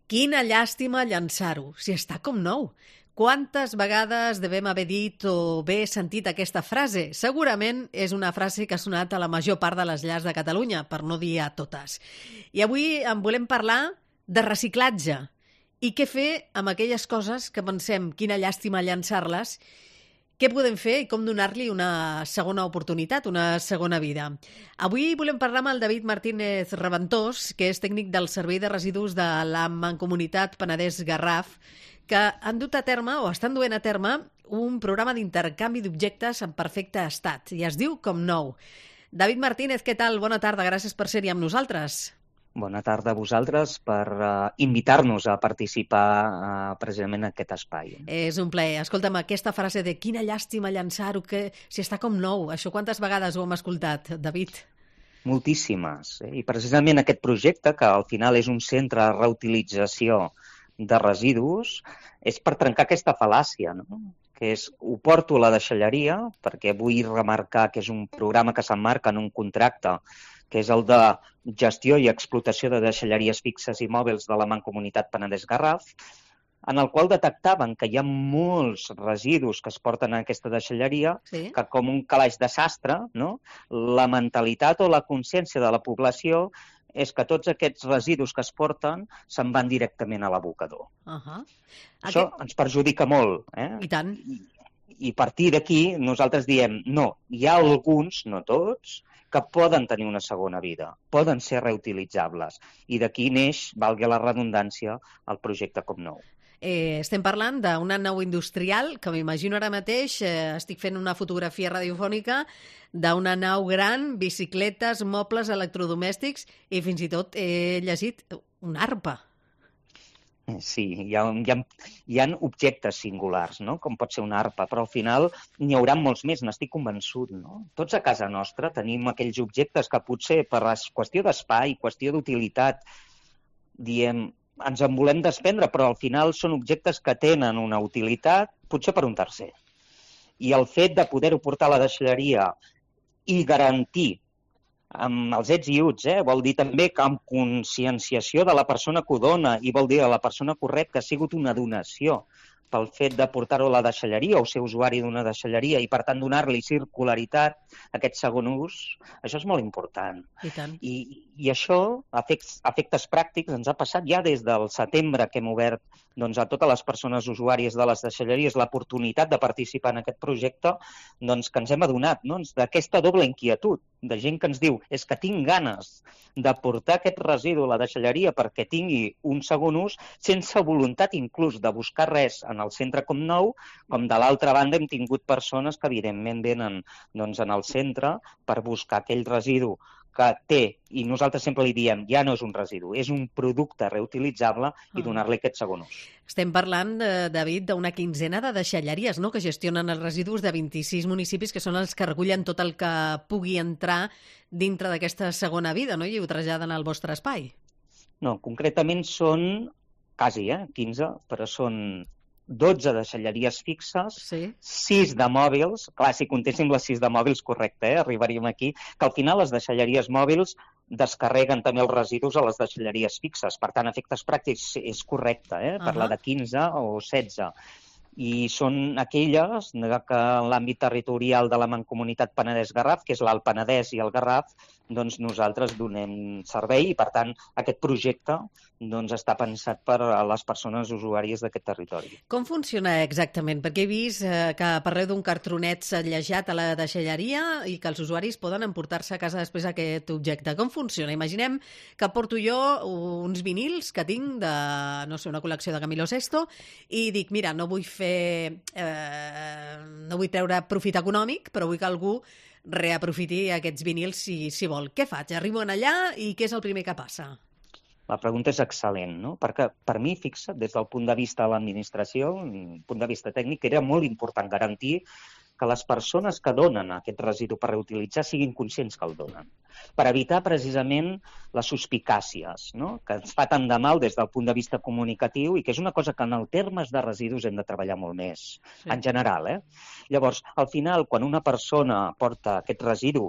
Quina llàstima llançar-ho, si està com nou. Quantes vegades devem haver dit o bé sentit aquesta frase? Segurament és una frase que ha sonat a la major part de les llars de Catalunya, per no dir a totes. I avui en volem parlar de reciclatge. I què fer amb aquelles coses que pensem quina llàstima llançar-les, què podem fer i com donar-li una segona oportunitat, una segona vida. Avui volem parlar amb el David Martínez Reventós, que és tècnic del Servei de Residus de la Mancomunitat Penedès-Garraf, que han dut a terme o estan duent a terme un programa d'intercanvi d'objectes en perfecte estat i es diu Com Nou. David Martínez, què tal? Bona tarda, gràcies per ser-hi amb nosaltres. Bona tarda a vosaltres per invitar-nos a participar precisament en aquest espai. És un plaer. Escolta'm, aquesta frase de quina llàstima llançar-ho, que si està com nou, això quantes vegades ho hem escoltat, David? Moltíssimes. I precisament aquest projecte, que al final és un centre de reutilització de residus, és per trencar aquesta fal·làcia, no? Que és, ho porto a la deixalleria, perquè vull remarcar que és un programa que s'emmarca en un contracte que és el de gestió i explotació de deixalleries fixes i mòbils de la Mancomunitat Penedès-Garraf, en el qual detectaven que hi ha molts residus que es porten a aquesta deixalleria, Sí. que com un calaix de sastre, no? La mentalitat o la consciència de la població és que tots aquests residus que es porten se'n van directament a l'abocador. Això ens perjudica molt. I tant. I a partir d'aquí nosaltres diem, no, hi ha alguns, no tots, que poden tenir una segona vida, poden ser reutilitzables. I d'aquí neix, valgui la redundància, el projecte Com Nou. Estem parlant d'una nau industrial que m'imagino ara mateix, estic fent una fotografia radiofònica d'una nau gran, bicicletes, mobles electrodomèstics i fins i tot he llegit una arpa. Sí, hi ha objectes singulars, no? Com pot ser una arpa, però al final n'hi haurà molts més, n'estic convençut, no? Tots a casa nostra tenim aquells objectes que potser per qüestió d'espai, qüestió d'utilitat, diem, ens en volem desprendre, però al final són objectes que tenen una utilitat, potser per un tercer. I el fet de poder-ho portar a la deixalleria i garantir amb els ets i uts, vol dir també que amb conscienciació de la persona que ho dona i vol dir a la persona correcta que ha sigut una donació pel fet de portar-ho a la deixalleria o ser usuari d'una deixalleria i, per tant, donar-li circularitat, aquest segon ús, això és molt important. I tant. I això, a efectes pràctics, ens ha passat ja des del setembre que hem obert a totes les persones usuàries de les deixalleries l'oportunitat de participar en aquest projecte, que ens hem adonat d'aquesta doble inquietud, de gent que ens diu és que tinc ganes de portar aquest residu a la deixalleria perquè tingui un segon ús, sense voluntat inclús de buscar res en el centre Com Nou, com de l'altra banda hem tingut persones que evidentment venen en el centre per buscar aquell residu que té, i nosaltres sempre li diem, ja no és un residu, és un producte reutilitzable i donar-li aquest segon ús. Estem parlant, David, d'una quinzena de deixalleries, no?, que gestionen els residus de 26 municipis, que són els que recullen tot el que pugui entrar dintre d'aquesta segona vida, no?, i ho traslladen al vostre espai. No, concretament són quasi 15, però són 12 deixalleries fixes, Sí. 6 de mòbils, clar, si comptéssim les 6 de mòbils, correcte, arribaríem aquí, que al final les deixalleries mòbils descarreguen també els residus a les deixalleries fixes, per tant, a efectes pràctics és correcte, parlar de 15 o 16. I són aquelles que en l'àmbit territorial de la Mancomunitat Penedès-Garraf, que és l'Alt Penedès i el Garraf, nosaltres donem servei i, per tant, aquest projecte està pensat per a les persones usuàries d'aquest territori. Com funciona exactament? Perquè he vist que parleu d'un cartronet setllejat a la deixalleria i que els usuaris poden emportar-se a casa després aquest objecte. Com funciona? Imaginem que porto jo uns vinils que tinc de, no sé, una col·lecció de Camilo Sesto i dic, mira, no vull treure profit econòmic, però vull que algú reaprofiti aquests vinils si vol. Què faig? Arribo allà i què és el primer que passa? La pregunta és excel·lent, no? Perquè per mi, fixa't, des del punt de vista de l'administració, punt de vista tècnic, era molt important garantir que les persones que donen aquest residu per reutilitzar siguin conscients que el donen, per evitar precisament les suspicàcies, no?, que ens fa tant de mal des del punt de vista comunicatiu i que és una cosa que en els termes de residus hem de treballar molt més, en general. Llavors, al final, quan una persona porta aquest residu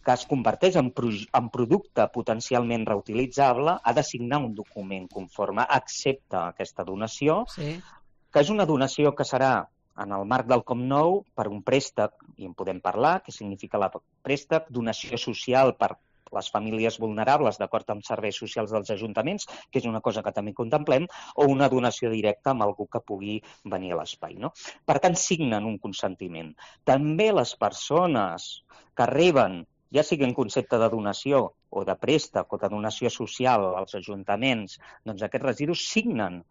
que es converteix en producte potencialment reutilitzable, ha de signar un document conforme accepta aquesta donació, que és una donació que serà en el marc del Com-Nou per un préstec, i en podem parlar, què significa el préstec, donació social per les famílies vulnerables d'acord amb serveis socials dels ajuntaments, que és una cosa que també contemplem, o una donació directa amb algú que pugui venir a l'espai, no? Per tant, signen un consentiment. També les persones que reben, ja sigui en concepte de donació o de préstec o de donació social als ajuntaments, doncs aquests residus signen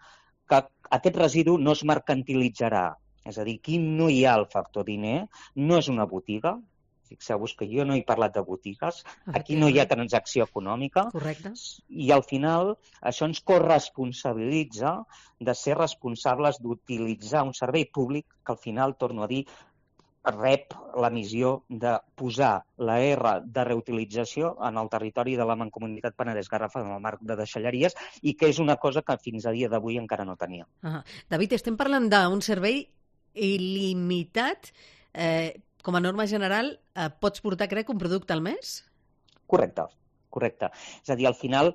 que aquest residu no es mercantilitzarà. És a dir, aquí no hi ha el factor diner, no és una botiga. Fixeu-vos que jo no he parlat de botigues, aquí no hi ha transacció econòmica. Correcte. I al final això ens corresponsabilitza de ser responsables d'utilitzar un servei públic que al final, torno a dir, rep la missió de posar la R de reutilització en el territori de la Mancomunitat Penedès-Garraf en el marc de deixalleries i que és una cosa que fins a dia d'avui encara no tenia. David, estem parlant d'un servei il·limitat. Com a norma general, pots portar, crec, un producte al mes? Correcte. És a dir, al final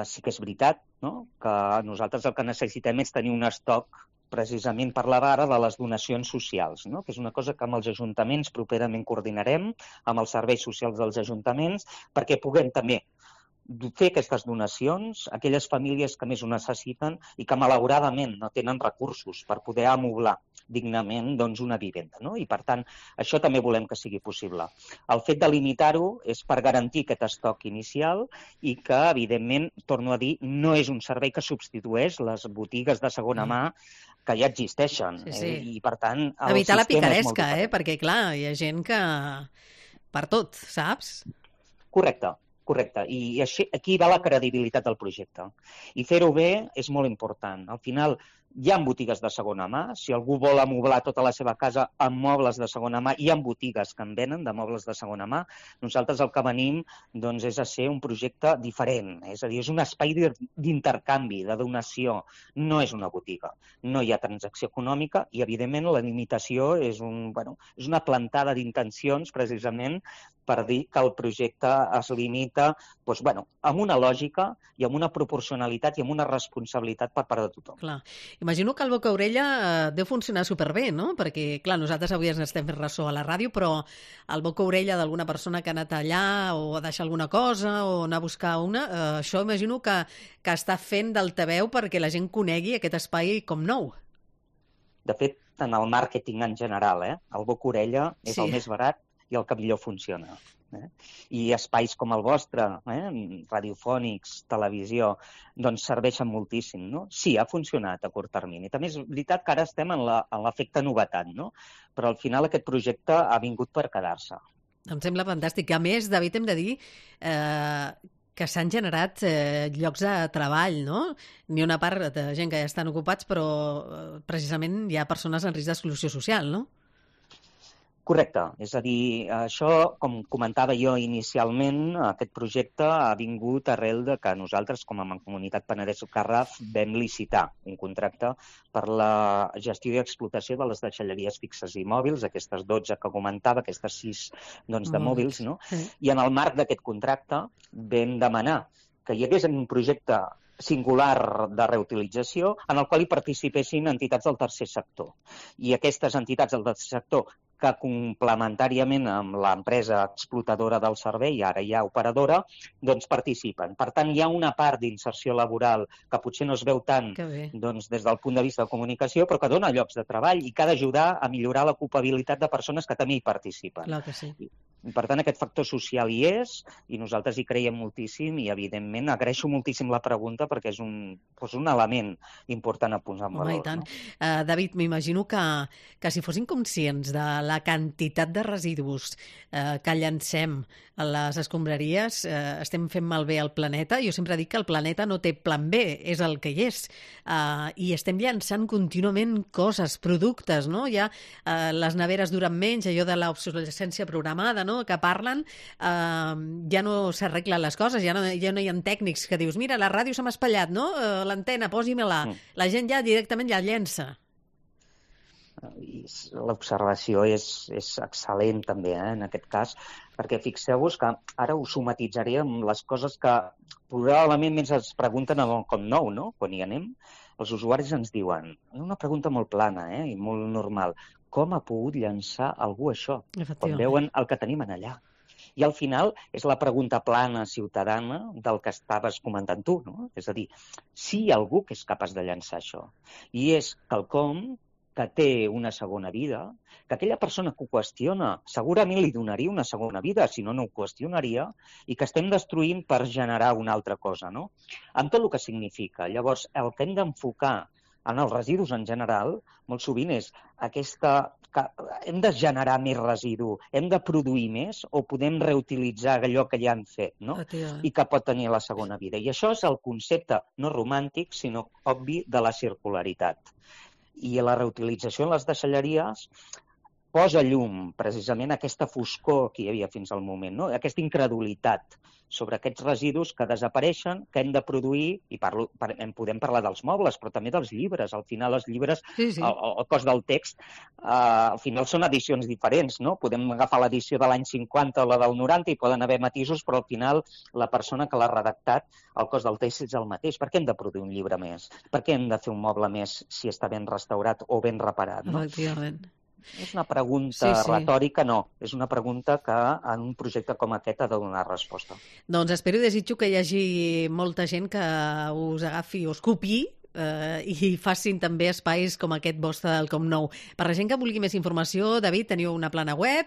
sí que és veritat, no?, que nosaltres el que necessitem és tenir un estoc precisament parlar ara de les donacions socials, no?, que és una cosa que amb els ajuntaments properament coordinarem, amb els serveis socials dels ajuntaments, perquè puguem també fer aquestes donacions a aquelles famílies que més ho necessiten i que malauradament no tenen recursos per poder amoblar dignament doncs, una vivenda, no? I per tant, això també volem que sigui possible. El fet de limitar-ho és per garantir aquest estoc inicial i que, evidentment, torno a dir, no és un servei que substitueix les botigues de segona mà que ja existeixen. I, per tant, evitar la picaresca, perquè, clar, hi ha gent que... per tot, saps? Correcte. I aquí va la credibilitat del projecte. I fer-ho bé és molt important. Al final, hi ha botigues de segona mà. Si algú vol amoblar tota la seva casa amb mobles de segona mà, hi ha botigues que en venen de mobles de segona mà. Nosaltres el que venim doncs, és a ser un projecte diferent. És a dir, és un espai d'intercanvi, de donació. No és una botiga. No hi ha transacció econòmica i, evidentment, la limitació és una plantada d'intencions, precisament, per dir que el projecte es limita amb una lògica i amb una proporcionalitat i amb una responsabilitat per part de tothom. Clar. Imagino que el boca-orella deu funcionar superbé, no? Perquè, clar, nosaltres avui ens estem fent ressò a la ràdio, però el boca-orella d'alguna persona que ha anat allà o a deixar alguna cosa o anar a buscar això imagino que està fent d'altaveu perquè la gent conegui aquest espai com nou. De fet, en el màrqueting en general, el boca-orella és el més barat i el que millor funciona. I espais com el vostre, radiofònics, televisió, doncs serveixen moltíssim, no? Sí, ha funcionat a curt termini. També és veritat que ara estem en l'efecte novetat, no? Però al final aquest projecte ha vingut per quedar-se. Em sembla fantàstic. A més, David, hem de dir que s'han generat llocs de treball, no? N'hi ha una part de gent que ja estan ocupats, però precisament hi ha persones en risc d'exclusió social, no? Correcte. És a dir, això, com comentava jo inicialment, aquest projecte ha vingut arrel de que nosaltres, com a Mancomunitat Penedès-Garraf, vam licitar un contracte per la gestió i explotació de les deixalleries fixes i mòbils, aquestes 12 que comentava, aquestes 6 de mòbils, no? I en el marc d'aquest contracte vam demanar que hi hagués un projecte singular de reutilització en el qual hi participessin entitats del tercer sector. I aquestes entitats del tercer sector que complementàriament amb l'empresa explotadora del servei, ara ja operadora, doncs participen. Per tant, hi ha una part d'inserció laboral que potser no es veu tant des del punt de vista de comunicació, però que dona llocs de treball i que ha d'ajudar a millorar l'ocupabilitat de persones que també hi participen. Clar que sí. I, per tant, aquest factor social hi és i nosaltres hi creiem moltíssim i, evidentment, agraeixo moltíssim la pregunta perquè és un element important a posar en valor. I tant. David, m'imagino que si fossin conscients de la quantitat de residus que llancem a les escombraries, estem fent malbé el planeta. Jo sempre dic que el planeta no té plan B, és el que hi és. I estem llançant contínuament coses, productes, no? Ja les neveres duren menys, allò de l'obsolescència programada, no?, que parlen, ja no s'arreglen les coses, ja no hi ha tècnics que dius, mira, la ràdio se m'ha espatllat, no?, l'antena, posi-me-la. La gent ja directament ja llença. L'observació és excel·lent també, en aquest cas. perquè fixeu-vos que ara us somatitzaré amb les coses que probablement més es pregunten en el Com Nou, no? Quan hi anem, els usuaris ens diuen, una pregunta molt plana i molt normal, com ha pogut llançar algú això? Quan veuen el que tenim en allà. I al final és la pregunta plana ciutadana del que estaves comentant tu, no? És a dir, si hi ha algú que és capaç de llançar això. I és quelcom que té una segona vida, que aquella persona que ho qüestiona segurament li donaria una segona vida, si no, no ho qüestionaria, i que estem destruint per generar una altra cosa, no? Amb tot el que significa. Llavors, el que hem d'enfocar en els residus en general, molt sovint és aquesta que hem de generar més residu, hem de produir més o podem reutilitzar allò que ja han fet, no? I que pot tenir la segona vida. I això és el concepte no romàntic, sinó obvi de la circularitat. I la reutilització en les deixalleries posa llum precisament aquesta foscor que hi havia fins al moment, no? Aquesta incredulitat sobre aquests residus que desapareixen, que hem de produir, i podem parlar dels mobles, però també dels llibres. Al final, els llibres, el cost del text, al final són edicions diferents, no? Podem agafar l'edició de l'any 50 o la del 90 i poden haver matisos, però al final la persona que l'ha redactat, el cost del text és el mateix. Per què hem de produir un llibre més? Per què hem de fer un moble més si està ben restaurat o ben reparat? No? Efectivament. És una pregunta retòrica, no. És una pregunta que en un projecte com aquest ha de donar resposta. Doncs espero i desitjo que hi hagi molta gent que us agafi o us copiï i facin també espais com aquest vostre del Com Nou. Per la gent que vulgui més informació, David, teniu una plana web,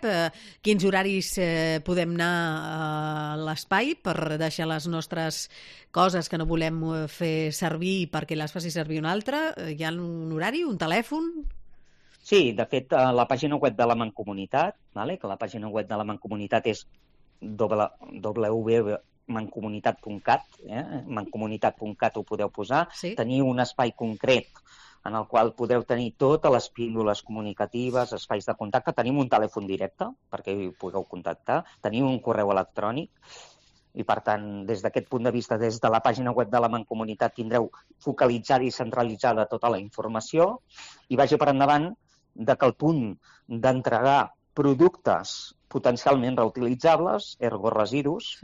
quins horaris podem anar a l'espai per deixar les nostres coses que no volem fer servir perquè les faci servir un altre? Hi ha un horari, un telèfon? Sí, de fet, la pàgina web de la Mancomunitat, que la pàgina web de la Mancomunitat és www.mancomunitat.cat, mancomunitat.cat ho podeu posar. Teniu un espai concret en el qual podeu tenir totes les píndoles comunicatives, espais de contacte. Tenim un telèfon directe perquè hi pugueu contactar. Tenim un correu electrònic. I, per tant, des d'aquest punt de vista, des de la pàgina web de la Mancomunitat tindreu focalitzada i centralitzada tota la informació i vagi per endavant que el punt d'entregar productes potencialment reutilitzables, ergo residus,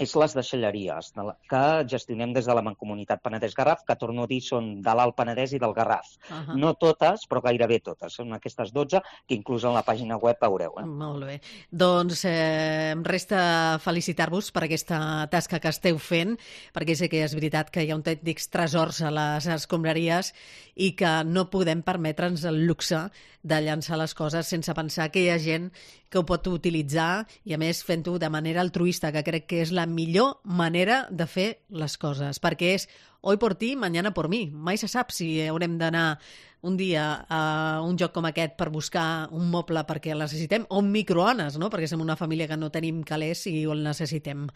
és les deixalleries que gestionem des de la Mancomunitat Penedès-Garraf, que torno a dir són de l'Alt Penedès i del Garraf. No totes, però gairebé totes. Són aquestes 12 que inclús en la pàgina web veureu. Molt bé. Doncs em resta felicitar-vos per aquesta tasca que esteu fent, perquè sé que és veritat que hi ha autèntics tresors a les escombraries i que no podem permetre'ns el luxe de llançar les coses sense pensar que hi ha gent que ho pot utilitzar i, a més, fent-ho de manera altruista, que crec que és la millor manera de fer les coses, perquè és hoy por ti, mañana por mí. Mai se sap si haurem d'anar un dia a un lloc com aquest per buscar un moble perquè el necessitem, o un microones, no? Perquè som una família que no tenim calés i el necessitem.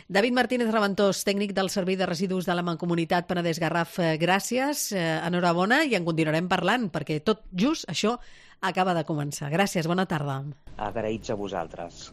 David Martínez Raventós, tècnic del Servei de Residus de la Mancomunitat Penedès-Garraf, gràcies, enhorabona, i en continuarem parlant, perquè tot just això acaba de començar. Gràcies, bona tarda. Agraïts a vosaltres.